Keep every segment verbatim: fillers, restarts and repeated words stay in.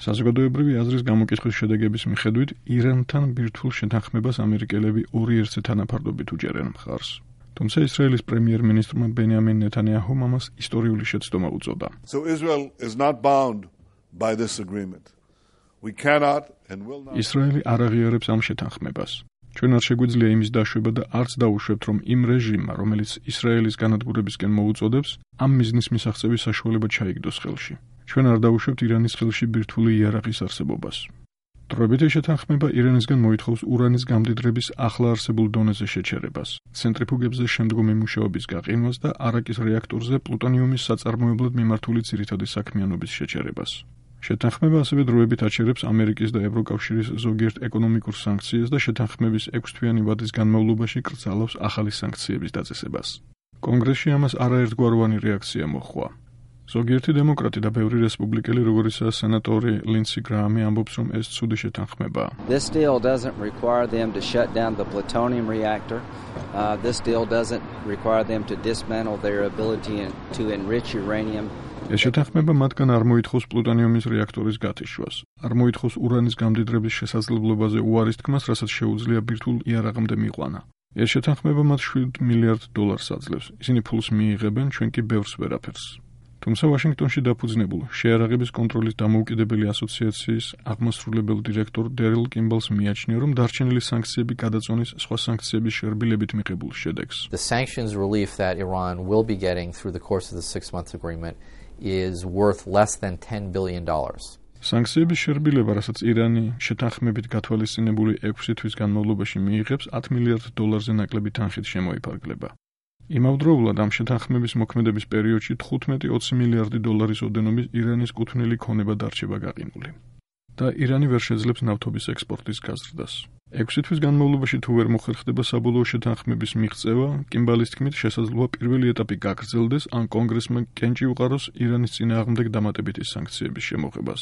საზოგადოებრივი აზრის გამოკითხვის შედეგების მიხედვით, ირანთან ბირთვულ შეთანხმებას ამერიკელები ორი ერთზე თანაფარდობით უჭერენ მხარს. თუმცა ისრაელის პრემიერ-მინისტრმა ბენიამინ ნეთანიაჰუმ ამას ისტორიული შეცდომა უწოდა. So Israel is not bound by this agreement. We cannot and will not. ისრაელი არ აღიარებს ამ შეთანხმებას. ჩვენ არ შეგვიძლია იმის დაშვება და არც დაუშვებთ, რომ იმ რეჟიმმა, რომელიც ისრაელის განადგურებისკენ მოუწოდებს, ამ მიზნის მისაღწევის საშუალება ჩაიგდოს ხელში. ჩვენ არ დაუშვებთ ირანის ხელში ბირთვული იარაღის არსებობას. დროებითი შეთანხმება ირანისგან მოითხოვს ურანის გამდიდრების ახლა არსებულ დონეზე შეჩერებას, ცენტრიფუგებზე შემდგომი მუშაობის გაყინვას და არაკის რეაქტორზე პლუტონიუმის საწარმოებლად მიმართული ძირითადი საქმიანობის შეჩერებას. შეთანხმება ასევე დროებით აჩერებს ამერიკის და ევროკავშირის ზოგიერთ ეკონომიკურ სანქციებს და შეთანხმების ექვსთვიანი ვადის განმავლობაში კრძალავს ახალი სანქციების დაწესებას. კონგრესში ამას არაერთგვაროვანი რეაქცია მოჰყვა. ზოგიერთი დემოკრატი და ბევრი რესპუბლიკელი, როგორიცაა სენატორი ლინდსი გრაამი, ამბობს, რომ ეს ცუდი შეთანხმებაა. This deal doesn't require them to shut down the plutonium reactor. Uh, this deal doesn't require them to dismantle their ability to enrich uranium. ეს შეთანხმება მათგან არ მოითხოვს პლუტონიუმის რეაქტორის გათიშვას, არ მოითხოვს ურანის გამდიდრების შესაძლებლობაზე უარის თქმას, რასაც შეუძლია ბირთვულ იარაღამდე მიყვანა. ეს შეთანხმება მათ შვიდ მილიარდ დოლარს აძლევს. ისინი ფულს მიიღებენ, ჩვენ კი ბევრს ვერაფერს. თუმცა ვაშინგტონში დაფუძნებულ შეიარაღების კონტროლის დამოუკიდებელი ასოციაციის აღმასრულებელ დირექტორ დერილ კიმბალს მიაჩნია, რომ დარჩენილი სანქციები გადაწონის სხვა სანქციების შერბილებით მიღებულ შედეგს. The sanctions relief that Iran will be getting through the course of the six-month agreement is worth less than ten billion dollars. სანქციების შერბილება, რასაც ირანი შეთანხმებით გათვალისწინებული ექვსი თვის განმავლობაში მიიღებს, ათ მილიარდ დოლარზე ნაკლები თანხით შემოიფარგლება. იმავდროულად ამ შეთანხმების მოქმედების პერიოდში თხუთმეტი ოცი მილიარდი დოლარის ოდენობის ირანის კუთვნილი ქონება დარჩება გაყინული. და ირანი ვერ შეძლებს ნავთობის ექსპორტის გაზრდას. ექვსი თვის განმავლობაში თუ ვერ მოხერხდება საბოლოო შეთანხმების მიღწევა, კიმბალის თქმით, შესაძლოა პირველი ეტაპი გაგრძელდეს, ან კონგრესმა კენჭი უყაროს ირანის წინააღმდეგ დამატებითი სანქციების შემოღებას.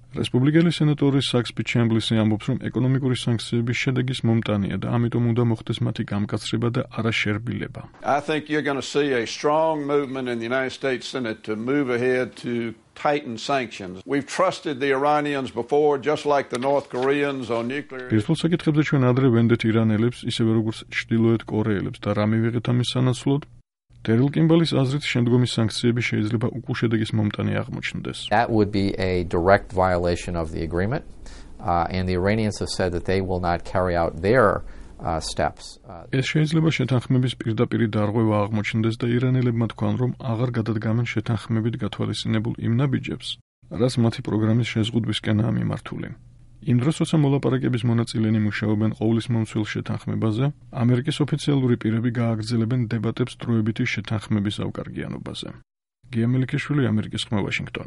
რესპუბლიკელი სენატორი საქსი ჩემბლისი ამბობს, რომ ეკონომიკური სანქციების შედეგის მომტანია და ამიტომ უნდა მოხდეს მათი გამკაცრება და არა შერბილება. I think you're going to see a strong movement in the United States Senate to move ahead to tighten sanctions. We've trusted the Iranians before, just like the North Koreans on nuclear. ბირთვულ საკითხებზე ჩვენ ადრე ვენდეთ ირანელებს, ისევე როგორც ჩრდილოეთ კორეელებს და რა მივიღეთ ამის სანაცვლოდ? დერილ კიმბალის აზრით, შემდგომი სანქციები შეიძლება უკულ შედეგის მომტანი აღმოჩნდეს. That would be a direct violation of the agreement, uh, and the Iranians have said that they will not carry out their uh, steps. ეს შეიძლება შეთანხმების პირდაპირი დარღვევა აღმოჩნდეს და ირანელებმა თქვან, რომ აღარ გადადგამენ შეთანხმებით გათვალისწინებულ იმ ნაბიჯებს, რაც მათი პროგრამის შეზღუდვისკენაა მიმართული. იმ დროს, როცა მოლაპარაკების მონაწილენი მუშაობენ ყოვლისმომცველ შეთანხმებაზე, ამერიკის ოფიციალური პირები გააგრძელებენ დებატებს დროებითი შეთანხმების ავკარგიანობაზე. გია მელიქიშვილი, ამერიკის ხმა, ვაშინგტონი.